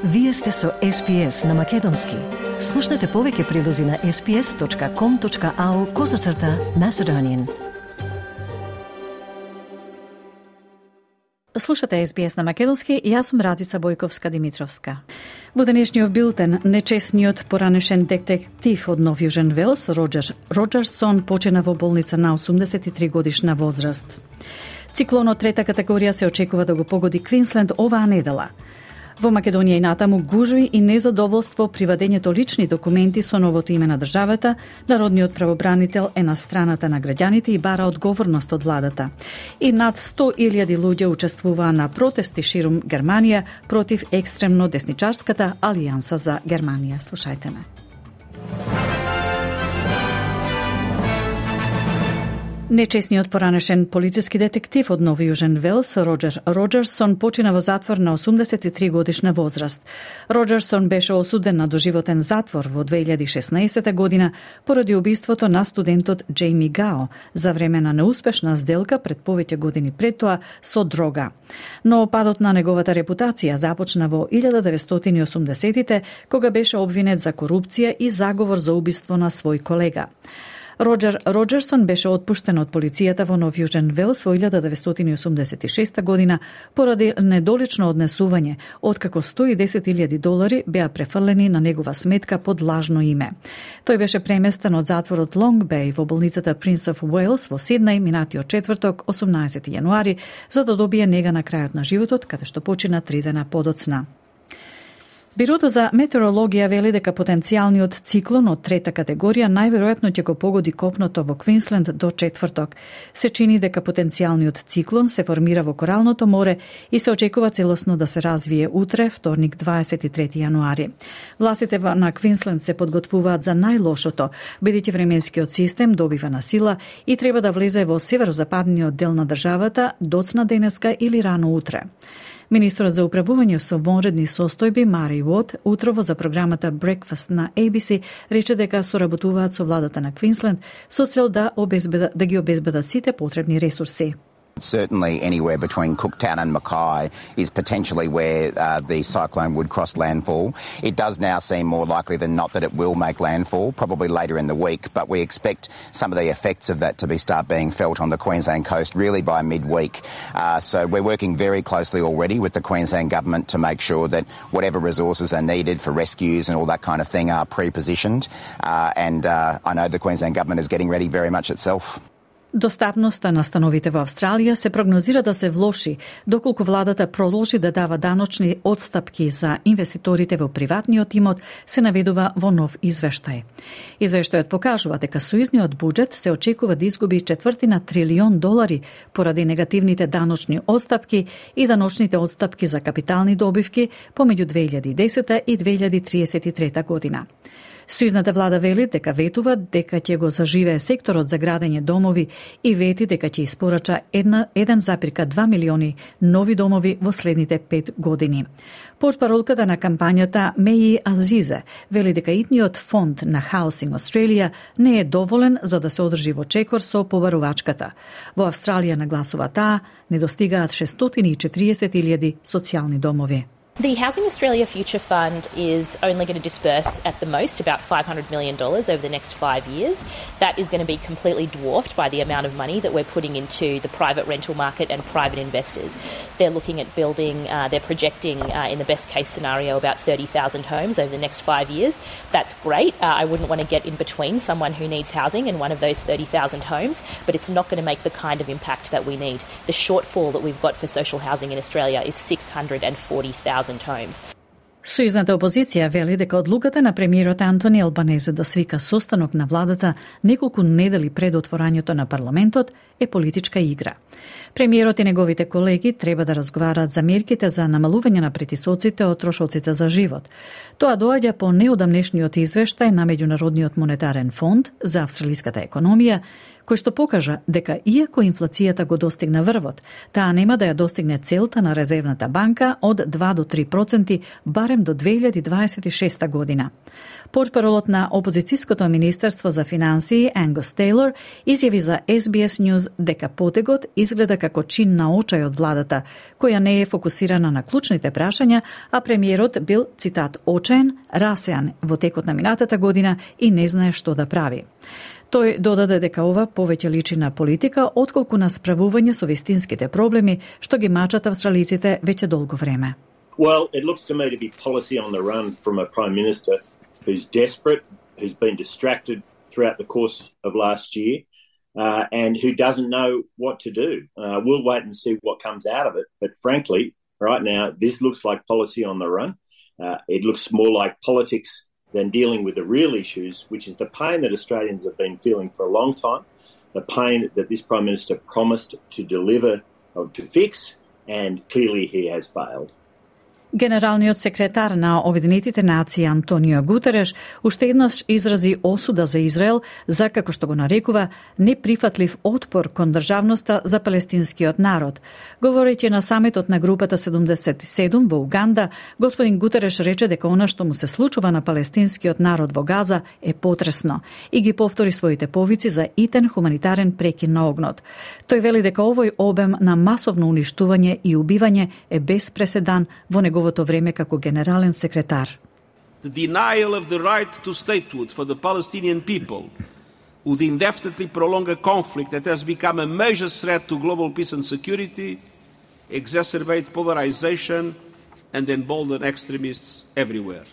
Вие сте со SPS на Македонски. Слушнете повеќе прилози на sps.com.au/Macedonian. Слушате SBS на Македонски и јас сум Радица Бојковска-Димитровска. Во денешниот билтен, нечесниот поранешен детектив од Нов Јужен Велс, Роджер Роджерсон, почина во болница на 83 годишна возраст. Циклонот трета категорија се очекува да го погоди Квинсленд оваа недела. Во Македонија и натаму гужви и незадоволство при вадењето лични документи со новото име на државата, народниот правобранител е на страната на граѓаните и бара одговорност од владата. И над 100.000 луѓе учествуваа на протести ширум Германија против екстремно десничарската Алијанса за Германија. Слушајте ме. Нечесниот поранешен полициски детектив од Нов Јужен Велс, Роджер Роджерсон, почина во затвор на 83 годишна возраст. Роджерсон беше осуден на доживотен затвор во 2016 година поради убиството на студентот Джейми Гао за време на неуспешна сделка пред повеќе години пред тоа со дрога. Но падот на неговата репутација започна во 1980-тите, кога беше обвинет за корупција и заговор за убиство на свој колега. Роджер Роджерсон беше отпуштен од полицијата во Нов Јужен Велс во 1986 година поради недолично однесување, откако $110,000 беа префрлени на негова сметка под лажно име. Тој беше преместен од затворот Лонг Беј во болницата Принц оф Уелс во Сиднеј минатиот четврток, 18 јануари, за да добие нега на крајот на животот, каде што почина 3 дена подоцна. Бирото за метеорологија вели дека потенцијалниот циклон од трета категорија најверојатно ќе го погоди копното во Квинсленд до четврток. Се чини дека потенцијалниот циклон се формира во Коралното море и се очекува целосно да се развие утре, вторник 23 јануари. Властите на Квинсленд се подготвуваат за најлошото, бидејќи временскиот систем добива на сила и треба да влезе во северозападниот дел на државата доцна денеска или рано утре. Министрот за управување со вонредни состојби Мари Уот утрово за програмата Breakfast на ABC рече дека соработуваат со владата на Квинсленд со цел да ги обезбедат сите потребни ресурси. Certainly anywhere between Cooktown and Mackay is potentially where the cyclone would cross landfall. It does now seem more likely than not that it will make landfall, probably later in the week, but we expect some of the effects of that to start being felt on the Queensland coast really by midweek. So we're working very closely already with the Queensland Government to make sure that whatever resources are needed for rescues and all that kind of thing are pre-positioned. And I know the Queensland Government is getting ready very much itself. Достапноста на становите во Австралија се прогнозира да се влоши, доколку владата продолжи да дава даночни отстапки за инвеститорите во приватниот имот, се наведува во нов извештај. Извештајот покажува дека сојузниот буџет се очекува да изгуби $1/4 трилион поради негативните даночни отстапки и даночните отстапки за капитални добивки помеѓу 2010 и 2033 година. Сојузната влада вели дека ветува дека ќе го заживее секторот за градење домови и вети дека ќе испорача 1,2 милиони нови домови во следните 5 години. Портпаролката на кампањата Меји Азизе вели дека итниот фонд на Housing Australia не е доволен за да се одржи во чекор со побарувачката. Во Австралија, нагласува таа, недостигаат 640,000 социјални домови. The Housing Australia Future Fund is only going to disperse at the most about $500 million over the next 5 years. That is going to be completely dwarfed by the amount of money that we're putting into the private rental market and private investors. They're looking at building, they're projecting in the best case scenario about 30,000 homes over the next 5 years. That's great. I wouldn't want to get in between someone who needs housing and one of those 30,000 homes, but it's not going to make the kind of impact that we need. The shortfall that we've got for social housing in Australia is 640,000 homes. Сојузната опозиција вели дека одлуката на премиерот Антони Албанезе да свика состанок на владата неколку недели пред отворањето на парламентот е политичка игра. Премиерот и неговите колеги треба да разговараат за мерките за намалување на притисоците од трошоците за живот. Тоа доаѓа по неодамнешниот извештај на Меѓународниот монетарен фонд за австралиската економија, кој што покажа дека иако инфлацијата го достигна врвот, таа нема да ја достигне целта на Резервната банка од 2 до 3% барем до 2026 година. Портпаролот на опозицијското министерство за финансии Ангус Тейлор изјави за SBS News дека потегот изгледа како чин на очај од владата, која не е фокусирана на клучните прашања, а премиерот бил, цитат, очаен, расеан во текот на минатата година и не знае што да прави. Тој додаде дека ова повеќе личи на политика, отколку на справување со вистинските проблеми што ги мачат австралиците веќе долго време. Well, it looks to me to be policy on the run from a Prime Minister who's desperate, who's been distracted throughout the course of last year, and who doesn't know what to do. We'll wait and see what comes out of it. But frankly, right now, this looks like policy on the run. It looks more like politics than dealing with the real issues, which is the pain that Australians have been feeling for a long time, the pain that this Prime Minister promised to deliver or to fix, and clearly he has failed. Генералниот секретар на Обединетите нации Антонио Гутереш уште еднаш изрази осуда за Израел за, како што го нарекува, неприфатлив отпор кон државноста за палестинскиот народ. Говорејќи на самитот на групата 77 во Уганда, господин Гутереш рече дека она што му се случува на палестинскиот народ во Газа е потресно и ги повтори своите повици за итен хуманитарен прекин на огнот. Тој вели дека овој обем на масовно уништување и убивање е без преседан во неговото време како генерален секретар. The denial of the right to statehood for the Palestinian people would indefinitely prolong a conflict that has become a major threat to global peace and security, exacerbate polarization and embolden extremists everywhere.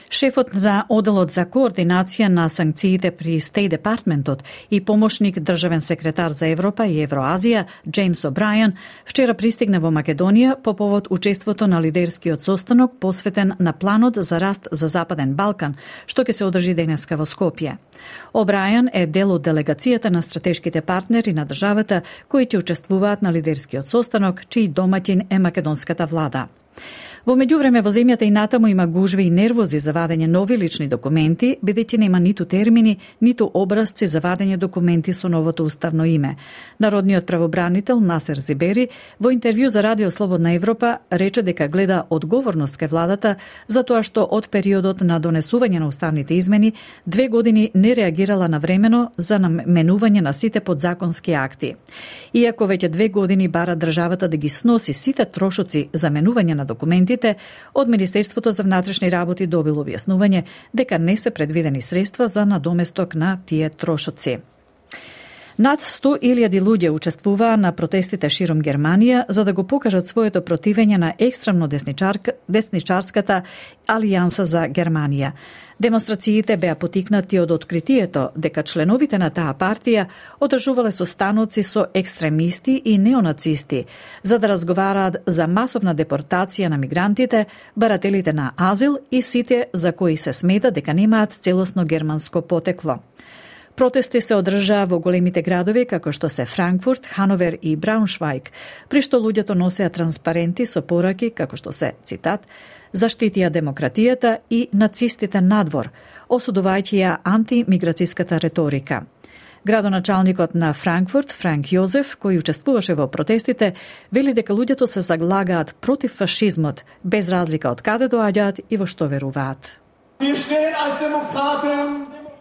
Шефот на оделот за координација на санкциите при Стейт Департментот и помошник државен секретар за Европа и Евроазија Джеймс О'Брајан вчера пристигна во Македонија по повод учеството на лидерскиот состанок посветен на планот за раст за Западен Балкан, што ќе се одржи денеска во Скопје. О'Брајан е дел од делегацијата на стратешките партнери на државата кои ќе учествуваат на лидерскиот состанок, чиј домаќин е македонската влада. Во меѓувреме во земјата и натаму има гужви и нервози за вадење нови лични документи, бидејќи нема ниту термини, ниту образци за вадење документи со новото уставно име. Народниот правобранител Насер Зибери во интервју за Радио Слободна Европа рече дека гледа одговорност кај владата за тоа што од периодот на донесување на уставните измени 2 години не реагирала навремено за наменување на сите подзаконски акти. Иако веќе 2 години бара државата да ги сноси сите трошоци за менување на документи, од Министерството за внатрешни работи добило објаснување дека не се предвидени средства за надоместок на тие трошоци. Над 100.000 луѓе учествуваа на протестите широм Германија за да го покажат своето противење на екстремно десничарската Алијанса за Германија. Демонстрациите беа потикнати од откритието дека членовите на таа партија одржувале состаноци со екстремисти и неонацисти за да разговараат за масовна депортација на мигрантите, барателите на азил и сите за кои се смета дека немаат целосно германско потекло. Протести се одржаа во големите градови како што се Франкфурт, Хановер и Брауншвајг, при што луѓето носеа транспаренти со пораки како што се, цитат, заштитија демократијата и нацистите надвор, осудувајќи ја антимиграциската реторика. Градоначалникот на Франкфурт, Франк Јозеф, кој учествуваше во протестите, вели дека луѓето се заглагаат против фашизмот, без разлика од каде доаѓаат и во што веруваат.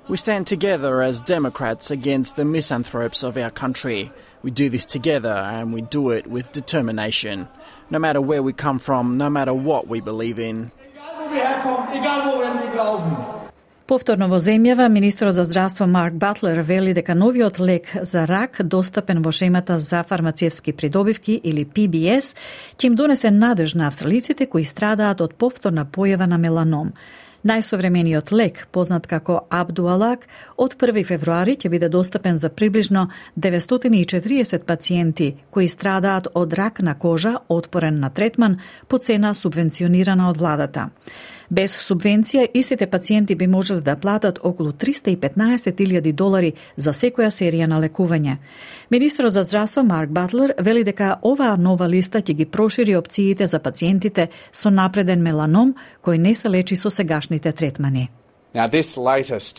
We stand together as Democrats against the misanthropes of our country. We do this together and we do it with determination. No matter where we come from, no matter what we believe in. Повторно во земјава, министерот за здравство Марк Батлер вели дека новиот лек за рак, достапен во шемата за фармацевски придобивки или PBS, ќе им донесе надеж на австралиците кои страдаат од повторна појава на меланом. Најсовремениот лек, познат како Абдуалак, од 1 февруари ќе биде достапен за приближно 940 пациенти кои страдаат од рак на кожа, отпорен на третман, по цена субвенционирана од владата. Без субвенција, истите пациенти би можеле да платат околу $315,000 за секоја серија на лекување. Министерот за здравство Марк Батлер вели дека оваа нова листа ќе ги прошири опциите за пациентите со напреден меланом кој не се лечи со сегашните третмани. Now, this latest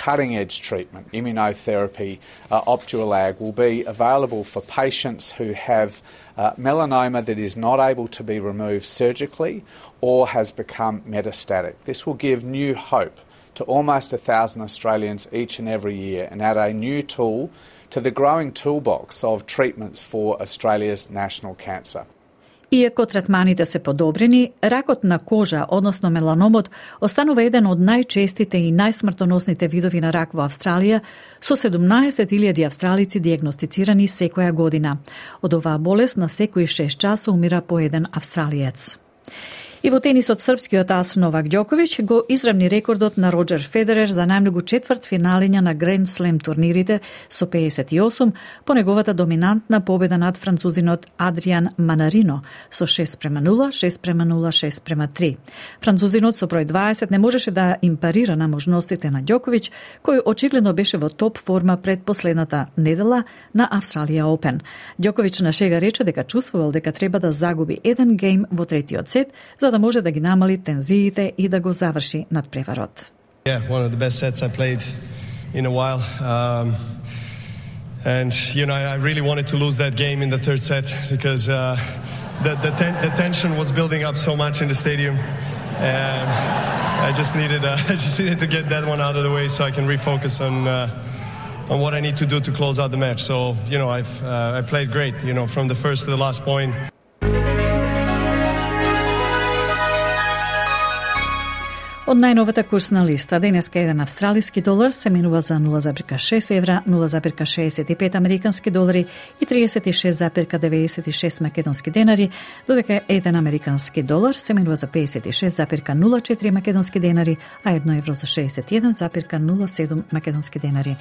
cutting-edge treatment, immunotherapy, Opdualag, will be available for patients who have melanoma that is not able to be removed surgically or has become metastatic. This will give new hope to almost 1,000 Australians each and every year and add a new tool to the growing toolbox of treatments for Australia's national cancer. Иако третманите се подобрени, ракот на кожа, односно меланомот, останува еден од најчестите и најсмртоносните видови на рак во Австралија, со 17.000 австралици диагностицирани секоја година. Од оваа болест на секои 6 часа умира по еден австралиец. И во тенисот српскиот ас Новак Ѓоковиќ го изравни рекордот на Роџер Федерер за најмногу четвртфиналиња на Гранд Слем турнирите со 58 по неговата доминантна победа над французинот Адриан Манарино со 6-0, 6-0, 6-3. Французинот со број 20 не можеше да им парира на можностите на Ѓоковиќ, кој очигледно беше во топ форма пред последната недела на Австралија Опен. Ѓоковиќ на шега рече дека чувствувал дека треба да загуби еден гейм во третиот сет за да може да ги намали тензиите и да го заврши надпреварот. Yeah, one of the best sets I played in a while. And you know, I really wanted to lose that game in the third set because the tension was building up so much in the stadium. And I just needed to get that one out of the way so I can refocus on what I need to do to close out the match. So, you know, I played great, you know, from the first to the last point. Од најновата курсна листа, денеска еден австралиски долар се менува за 0,6 евра, 0,65 американски долари и 36,96 македонски денари, додека еден американски долар се менува за 56,04 македонски денари, а 1 евро за 61,07 македонски денари.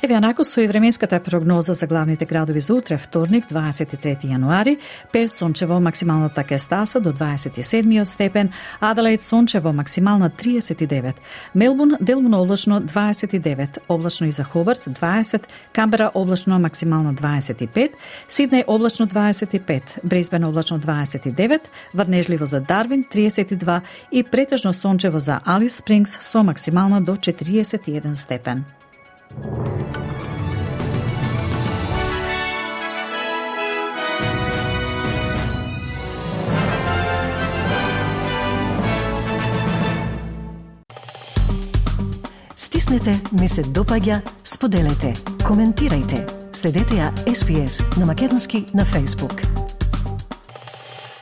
Еве анако со и временската прогноза за главните градови за утре, вторник, 23 јануари, Перт сончево, максималната кестаса до 27 степен, Аделаид сончево, максимална 39, Мелбурн делумно облачно 29, облачно и за Хобарт 20, Камбера облачно максимално 25, Сиднеј облачно 25, Брисбен облачно 29, врнежливо за Дарвин 32 и претежно сончево за Алис Спрингс со максимално до 41 степен. Стиснете, ми се допаѓа, споделете, коментирајте. Следете ја SPS на Македонски на Facebook.